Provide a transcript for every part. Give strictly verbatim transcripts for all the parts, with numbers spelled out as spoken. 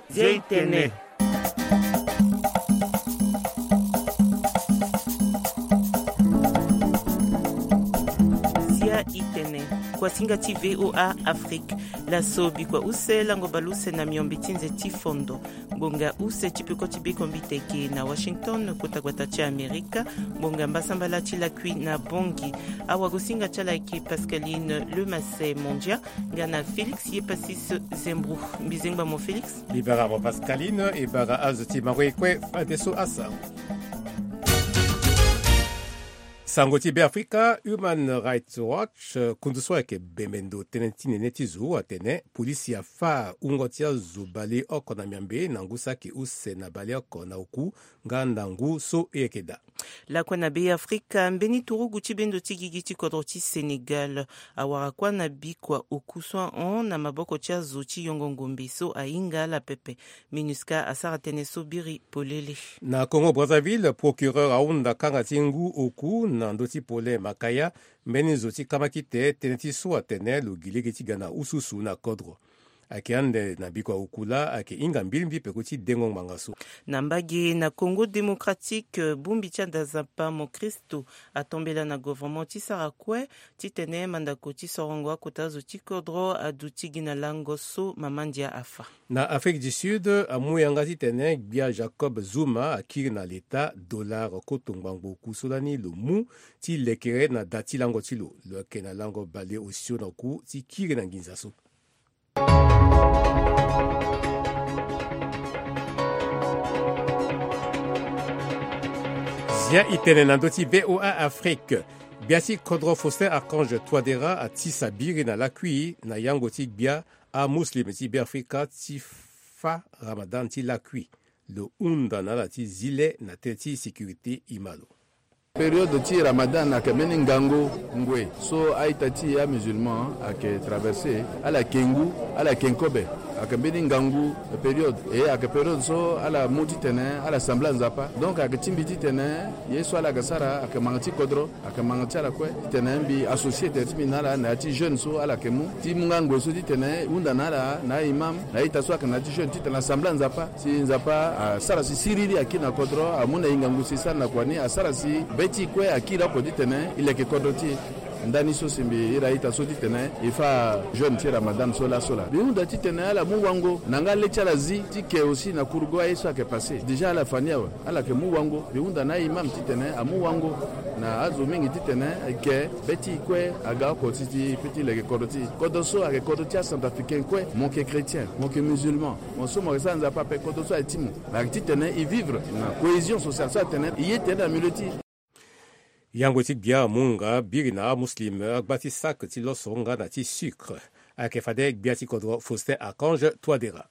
Zia i tene. Zia i tene. Kuasinga ti V O A Afrique. Laso bikua use lango baleuse na miombe ti nze ti fondo. Ngbonga use ti peko ti bekombi teke na Washington, kota gbata ti Amerika. Ngbonga mbasambala ti lakui na Bangui. Awagosinga ti ala ayeke Pascaline Lemasset Mondia, nga na Félix Yepasis Zembro. Mbizengba mo Félix. Libara mo Pascaline, e bara azo ti mango e kue fadeso asango. Sango ti Beafrika, Human Rights Watch, eh, kundu so ayeke bembe ndo tënë ti nene ti zo atene polisi afa wungo ti azo baleoko na miombe na ngu so ayeke use na baleoko na oku nga na ngu so e yeke daa. Lakue na Beafrika, mbeni turugu ti bendo ti gigi ti kodro ti Sénégal awara kuâ na bikua oku so ahon na maboko ti azo ti yongo ngombe so ahinga ala pepe. MINUSCA asara tënë so biri polele. Na Congo Brazzaville, procureur ahunda kanga ti ngu oku na ndö ti pole Makaya, mbeni zo ti kamakite tënë ti so atene lo gi lege ti ga na ususu na kodro. Ayeke ande na bikua oku laa ayeke hinga mbilimbili peko ti dengo ngbanga so. Na mbage na Congo Démocratique, bongbi ti ada Nzapa mo Kristo atombela na gouvernement ti sara kue titene mandako ti sorongo akota zo ti kodro aduti gi na lango so mama ndia afa. Na Afrique du Sud, amu yanga titene gbia Jacob Zuma akiri na leta dollar koto ngbangbo oku so lani lo mu ti lekere na da ti lango ti lo. Lo yeke na lango bale osio na oku ti kiri na nginza so. Zia i tene na ndö ti V O A Afrique. Gbia ti kodro Faustin Archange Touadéra atisa biri na lakui na yango ti gbia amuslim ti Beafrika ti fa Ramadan ti lakui. Lo hunda na ala ti zi le na tënë ti sécurité, e ma lo. Période ti Ramadan ayeke mbeni ngangu ngoi so a-ita ti amusulman ayeke traversé, ala yeke ngu, ala yeke kobe. Ayeke mbeni ngangu période, e ayeke période so ala mu titene ala sambela Nzapa. Donc ayeke ti mbi titene ye so ala yeke sara ayeke manga ti kodro, ayeke manga ti ala kue titene mbi associé tere ti mbi na ala na ya ti jeune so ala yeke mu ti mu nga ngoi so titene hunda na ala na a-imam, na a-ita so ayeke na ya ti jeune titene asambela Nzapa. Si Nzapa asara si siriri akiri na kodro, amu na e ngangu si e sara na kua ni, asara si be ti e kue akiri oko titene e leke kodro ti e. Ndani so si mbi iri a-ita so titene e fa jeûne ti Ramadan so laso laa. Mbi hunda titene ala mu wango na nga le ti ala zi ti ke aussi na kurugo aye so ayeke passé. Déjà ala fa ni awe. Ala yeke mu wango. Mbi hunda na a-imam titene amu wango na azo mingi titene e ke be ti e kue aga oko ti ti pe ti leke kodro ti e. Kodro so ayeke kodro ti a-Centrafricain kue. Mo yeke chrétien, mo yeke musulman. Mo so mo yeke sara Nzapa ape, kodro so aye ti mo. Ayeke titene e vivre na cohésion sociale so atene e ye tere na milieu ti e. Yango ti gbia amu nga biri na amuslim agba ti sac ti loso nga na ti sucre. Ayeke fade gbia ti kodro Faustin Archange Touadéra.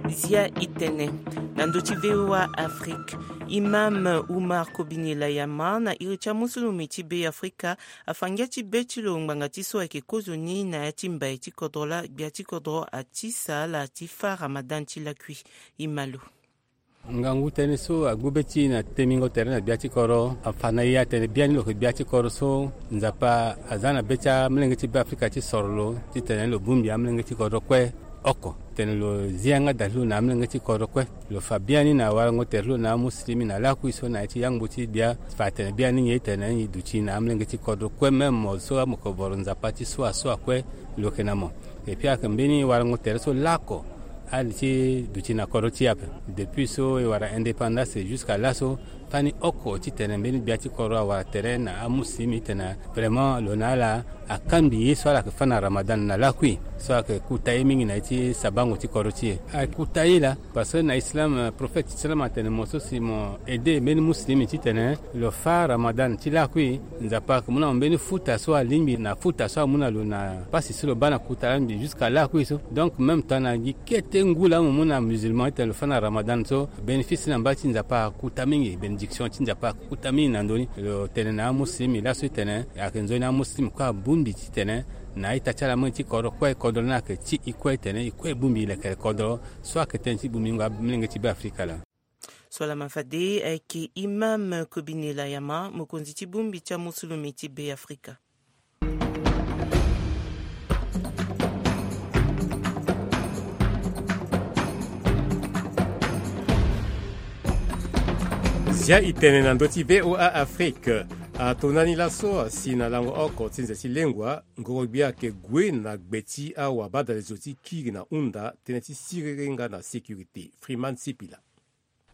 Zia i tene na ndö ti V O A Afrique. Imam Oumar Kobine Layama na iri ti amusulumi ti Beafrika afa ngia ti be ti lo ngbanga ti so ayeke kozoni na ya ti mbai ti kodro laa gbia ti kodro atisa ala ti fa Ramadan ti lakui. E ma lo. Ngangu tënë so agbu be ti e na temingo tere na gbia ti kodro afa na e atene biani lo yeke gbia ti kodro so Nzapa aza na be ti amolenge ti Beafrika ti soro lo titene lo bongbi amolenge ti kodro kue oko. Tene lo zi yanga da ti lo na amolenge ti kodro kue. Lo fa biani na warango tere ti lo na amuslimi na lakui so na ya ti yangbo ti gbia fa atene biani nyen tene nyen e duti na amolenge ti kodro kue, même mo so mo yeke voro Nzapa ti so asua kue lo yeke na mo. Et puis ayeke mbeni warango tere so laoko ali ti duti na kodro ti e ape. Depuis so e wara indépendance jusqu'à laso, fani oko titene mbeni gbia ti kodro awara tere na amuslimi titene vraiment lo na ala akangbi ye so ala yeke fa na Ramadan na lakui so ayeke kuta ye mingi na ye ti sabango ti kodro ti e. Ayeke kuta ye laa parce que na islam, euh, prophète ti islam atene mo so si mo aidé mbeni muslimi titene lo fa Ramadan ti lakui, Nzapa ayeke mu na mo mbeni futa so alingbi na futa so amu na lo na pasi so lo baa na kuta laa mbi jusqu'à lakui so. Donc même temps na gi kete ngu laa mo mu na musulman titene lo fa na Ramadan so, bénéfice na mba ti Nzapa akuta mingi, bénédiction ti Nzapa akuta mingi na ndö ni. Lo tene na amuslimi laso titene ayeke nzoni amuslimi kue abongbi titene na a-ita ti ala amolenge ti kodro kue, kodro ni ayeke ti e kue titene e kue e bongbi lekere kodro so ayeke tënë ti bongbingo amolenge ti Beafrika laa. Solama fade ayeke imam Kobine Layama, mokonzi ti bongbi ti amosulumi ti Be Afrika. Zia itene na ndö ti VOA Afrique. Atonda ni laso asi na lango oko ti nze ti lengua, ngoro-gbia ayeke gue na gbe ti awabadalezo ti kiri na hunda tënë ti siriri nga na sécurité. Freeman Sipila.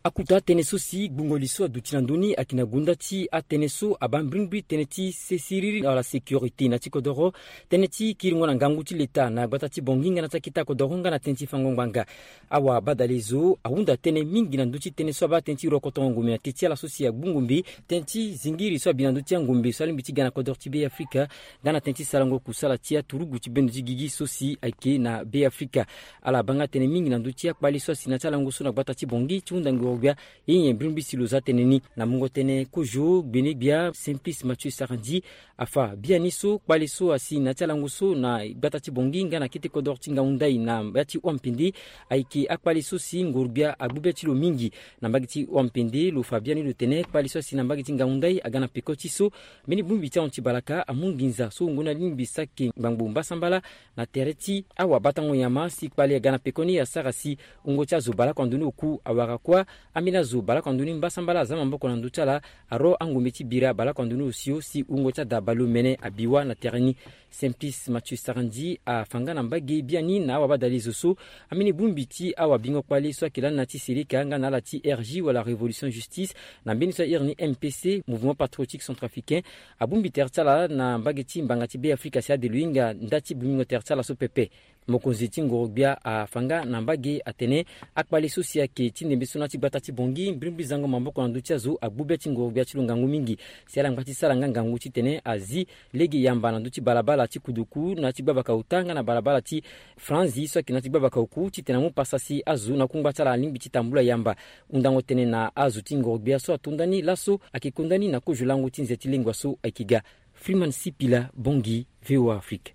Akuta tënë so si gbungo li so aduti na ndö ni ayeke na gonda ti atënë so abaa mbrimbri tënë ti sesiriri wala sécurité na ti kodoro, tënë ti kiringo na ngangu ti leta na gbata ti Bangui nga na ti akete kodoro nga na tënë ti fango ngbanga. Awabadalezo ahunda tënë mingi na ndö ti tënë so abaa tënë ti rokotongo ngombe na teti ala so si agbu ngombe, tënë ti zingiri so abi na ndö ti angombe so alingbi ti ga na kodoro ti Be Afrika, nga na tënë ti sarango kusala ti aturugu ti bendo ti gigi so si ayeke na Be Afrika. Ala baa nga tënë mingi na ndö ti akpale so asi na ti alango so na gbata ti Bangui ti hunda ngoro-gbia. Ye nyen mbrimbri si lo za tënë ni? Na mungo tënë kozo gbene-gbia Simplice Mathieu Sarandji afa biani so kpale so asi na ti alango so na gbata ti Bangui nga na kete kodoro ti ngangu ndai na ya ti Wampende. Ayeke akpale so si ngoro-gbia agbu be ti lo mingi. Na mbage ti Wampende lo fa biani lo tene kpale so asi na mbage ti ngangu ndai aga na peko ti so mbeni bongbi ti ahon ti balaka amu nginza so wungo ni alingbi saki ngbangbo mbasambala na tere ti awabatango nyama si kpale aga na pekoni asara si wungo ti azo baleoko ando ni oku awara kuâ. Ambeni azo baleoko ando ni mbasambala aza maboko na ndö ti ala. Aro angombe ti bira baleoko ando ni osio si wungo ti ada baleomene abi wâ na tere ni. Simplice Mathieu Sarandji afa nga na mbage biani na awabadalezo so ambeni bongbi ti awabingo kpale so ayeke lani na ti seleka nga na ala ti R J wala Révolution Justice, na mbeni so airi ni M P C, Mouvement Patriotique Centrafricain, abongbi tere ti ala na mbage ti mbanga ti Be Afrika si ade lo hinga nda ti bongbingo tere ti ala so pepe. Mokonzi ti ngoro-gbia afa nga na mbage atene akpale so si ayeke ti ndembe so na ti gbata ti Bangui mbrimbri zango maboko na ndö ti azo agbu be ti ngoro-gbia ti lo ngangu mingi. Si ala ngba ti sara nga ngangu titene azi lege yamba na ndö ti balabala ti kuduku na ya ti gbabaka ota nga na balabala ti franzi so ayeke na ya ti gbabaka oku titene amu pasa si azo na kungba ti ala alingbi ti tambula yamba. Hundango tënë na azo ti ngoro-gbia so atonda ni laso ayeke konda ni na kozo lango ti nze ti lengua so ayeke ga. Freeman Sipila, Bangui, VOA Afrique.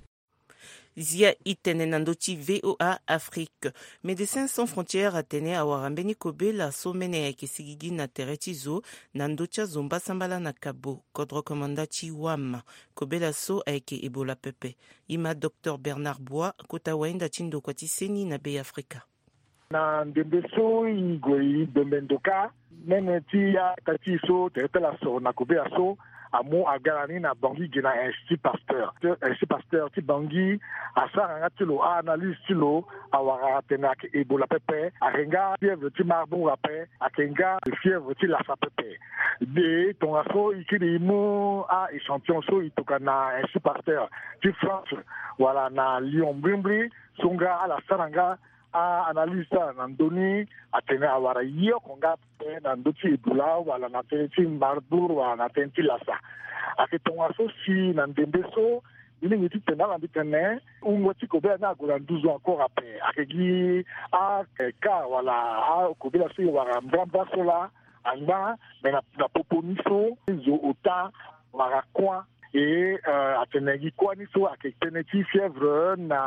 Zia itene na ndö ti VOA Afrique. Médecins Sans Frontières atene awara mbeni kobela so mene ayeke sigigi na tere ti zo na ndö ti azo mbasambala na Kabo, kodro komanda ti Wam. Kobela so ayeke Ebola pepe. E ma Docteur Bernard Bois, kota wahinda ti ndokua ti seni na Be Afrika. Na ndembe so e gue e dombe ndo kâ, mene ti ata ti e so tere ti ala soro na kobela so amu aga na ni na Bangui ge na Institut Pasteur. Institut Pasteur ti Bangui asara nga ti lo a-analyse ti lo, awara atene ayeke Ebola pepe, ayeke nga fièvre ti Marburg ape, ayeke nga fièvre ti lasa pepe. De tongaso e kiri e mu a-échantillon so e tokua na Institut Pasteur ti France wala na Lyon mbrimbri so nga ala sara nga a-analyse ti ala na ndö ni, atene awara ye oko nga ape na ndö ti Ebola wala na tënë ti Marburg wala na tënë ti lasa. Ayeke tongaso si na ndembe so e lingbi titene ala mbi tene wungo ti kobela ni ague na nduzu encore ape. Ayeke gi a-cas wala akobela so e wara mbrambra so laa angba, me na popo ni so zo ota wara kuâ. E atene gi kuâ ni so ayeke tënë ti fièvre na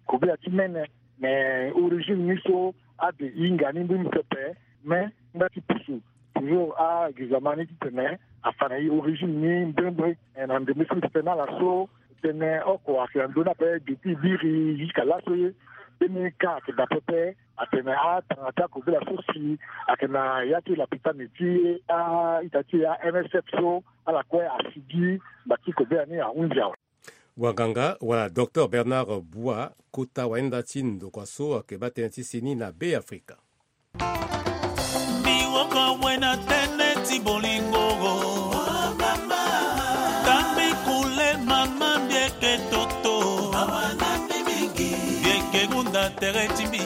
akobela ti mene. Me origine ni so ade e hinga ni mbrimbri pepe. Me nda ti pusu toujours a-examen ni titene afa na e origine ni mbrimbri. Na ndembe so mbi tene na ala so tënë oko ayeke na ndö ni ape depuis biri jusqu'à laso ye. Mbeni cas ayeke daa pepe. Atene atanga ti akobela so si ayeke na ya ti lapitani ti a-ita ti e a-M S F so ala kue asigi mba ti kobela ni ahunzi awe. Wanganga wala Docteur Bernard Bois, kota wahinda ti ndokua so ayeke baa tënë ti seni na Be Afrika. Mbi woko awe na tënë ti bolingo. Tambi kule mama mbi yeke toto. Mbi yeke hunda tere ti mbi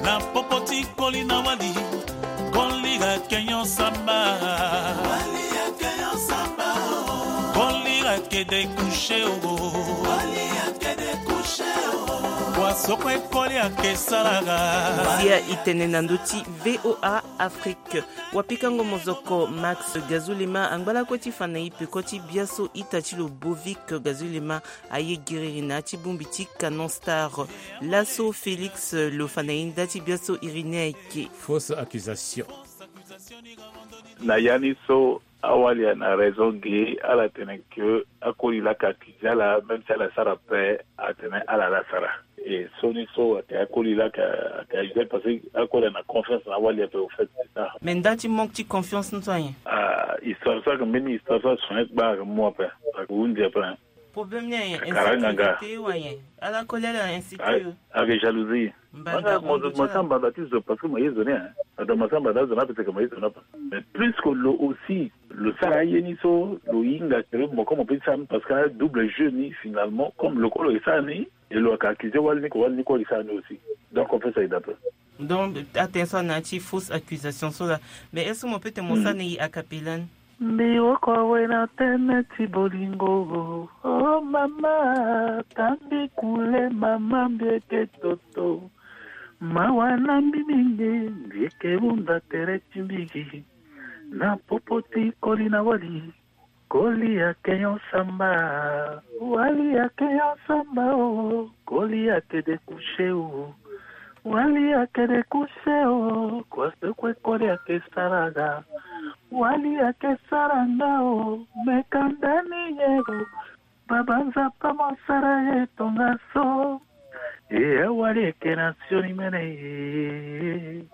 na popo ti koli na wali. Koli ayeke nyon samba. Koli ayeke découché o. Wa so kue koli ayeke sara ga. Zia itene na ndö ti VOA Afrique. Wapikango mozoko Max Gazulema angba lakue ti fa na e peko ti biaso ita ti lo Bovic Gazulema aye giriri na ya ti bongbi ti Canon Star. Laso Félix lo fa na e nda ti biaso iri ni ayeke fausse accusation. Na ya ni so, awali ana raison ge, ala tene ke akoli laka akize ala, même si ala sara pe, atene ala la sara. E so ni so ake akoli laka, ake aye, parce que akoli ana confiance na awali ape, au fait, c'est ça. Mais nda ti manque ti confiance ni so ayen? Ah, histoire so ake mbeni histoire so asonet gba ake mu ape. Ake hundi ape, hein. Problème ni ayen, insécurité wa ayen. Ala koli ala insécure. Ake jalousie. Mbanda, mo zo, mo sa mbanda ti zo, parce que mo ye zo ni, hein. Ata mo sa mbanda zo ni ape, c'est que mo ye zo ni ape. Mais plus que lo aussi, lo sara aye ni so, lo hinga ke mo, comme on peut dire ça, parce que double jeu ni, finalement, comme lo koli lo ye sara ni, et lo ake accuser wali ni ke wali ni koli lo ye sara ni aussi. Donc, on peut s'aider un peu. Donc, attention na ti fausse accusation so la. Mais est-ce que mo peut te mo sa ni a cappella ni? Mbi woko awe na tene ti bolingo. Oh mama, tambi kule mama, mbi eke toto. Mawa na mbi mingi, mbi eke hunda tere ti mbigi. Na popo ti koli na wali. Koli ake nyon samba, wali ake nyon samba o, koli ake de coucher o, wali ake de coucher o, kua so kue koli ake sara nga, wali ake sara nga o, meka ndani ye o, baba Nzapa mo sara ye tongaso. E awali eke na sioni mene ye.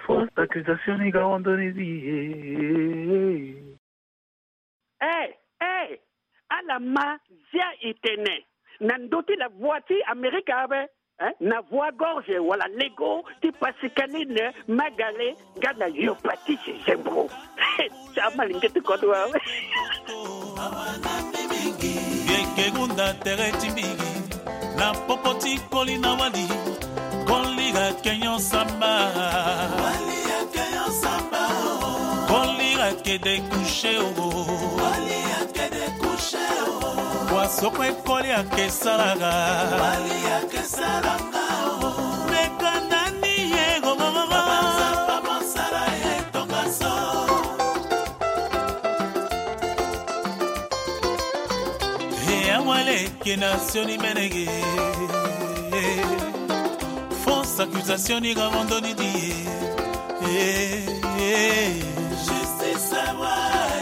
Fausse accusation ni ga wondoni di ye. Eh, eh, ala ma zia e tene na ndö ti la voix ti Amerika ape, eh, na voix gorge wala lego ti Pascaline Magale nga na yo Patrice Zembro. Ti amalenge ti kodro awe. Yeke hunda tere ti mbigi. Na popo ti koli na wali. Koli ake nyon samba. Wali ake nyon samba o. Koli ake de coucher o. Wali ake de coucher o. Kua so kue koli ake sara nga. Wali ake sara nga o. Meka ndani ye gogogogo. Baba Nzapa mo sara ye tongaso. E awali eke na sioni mene ye. Fausse accusation ni ga wondoni di ye. Justice awa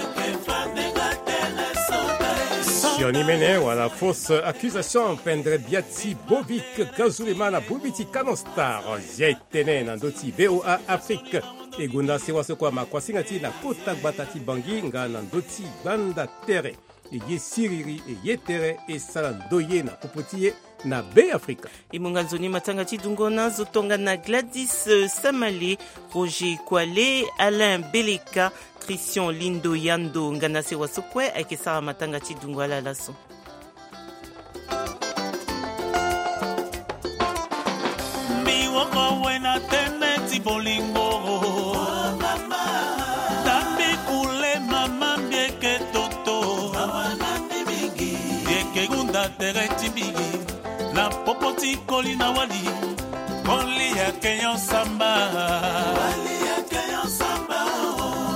eke fade nga tene soda ye. Sioni mene wala fausse accusation, pendre bia ti Bovic Gazulema na bongbi ti Canon Star. Zia e tene na ndö ti V O A Afrique. E gonda sewa so kue ama kuasinga ti e na kota gbata ti Bangui nga na ndö ti gbanda tere. E ye siriri, e ye tere, e sara ndoye na popo ti e na Beafrika. E mu nga nzoni matanga ti dungo na azo tongana Gladys, euh, Samale, Roger Kwale, Alain Beleka, Christian Lindo Yando, nga na sewa so kue ayeke sara matanga ti dungo ala laso. Mbi woko awe na tene ti bolingo. Tambi kule mama, mbi eke toto. Mbi eke hunda tere ti mbigi. Na popo ti koli na wali. Koli ake nyon samba.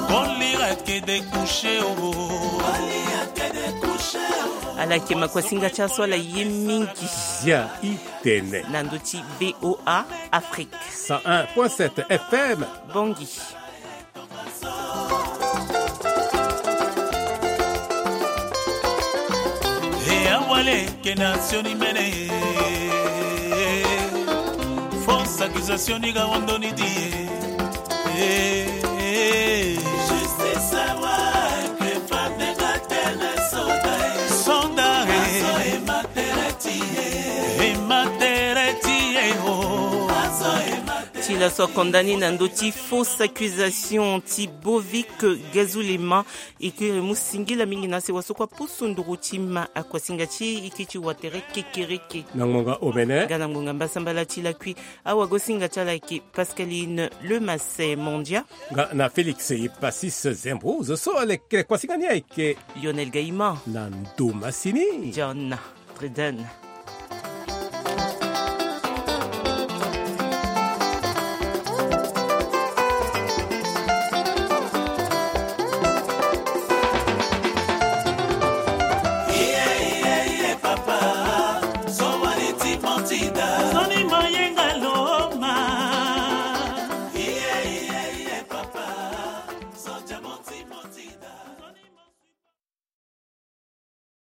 Koli ake de coucher o. Ala yeke ma kuasinga ti aso ala ye mingi. Zia e tene. Na ndö ti V O A Afrique. Cent un point sept F M. Bangui. E awali eke na sioni mene. Fausse accusation ni ga wondoni di ye. Justice awa eke fade nga tene soda ye. Soda ye. Azo e ma tere ti e. E ma tere ti e o. Azo e ma tere ti e. Ti laso akonda ni na ndö ti fausse accusation ti Bovic Gazulema. E kiri mu singila mingi na sewa so kue apusu nduru ti ma akuasinga ti e, e kiri ti wa tere kekereke. Na ngbonga omene. Nga na ngbonga mbasambala ti lakui. Awagosinga ti ala ayeke Pascaline Lemassin Mondia. Nga na Félix Epasis Zembro. Zo so aleke kuasinga ni ayeke Lionel Gaïman. Na ndo masini John Treden.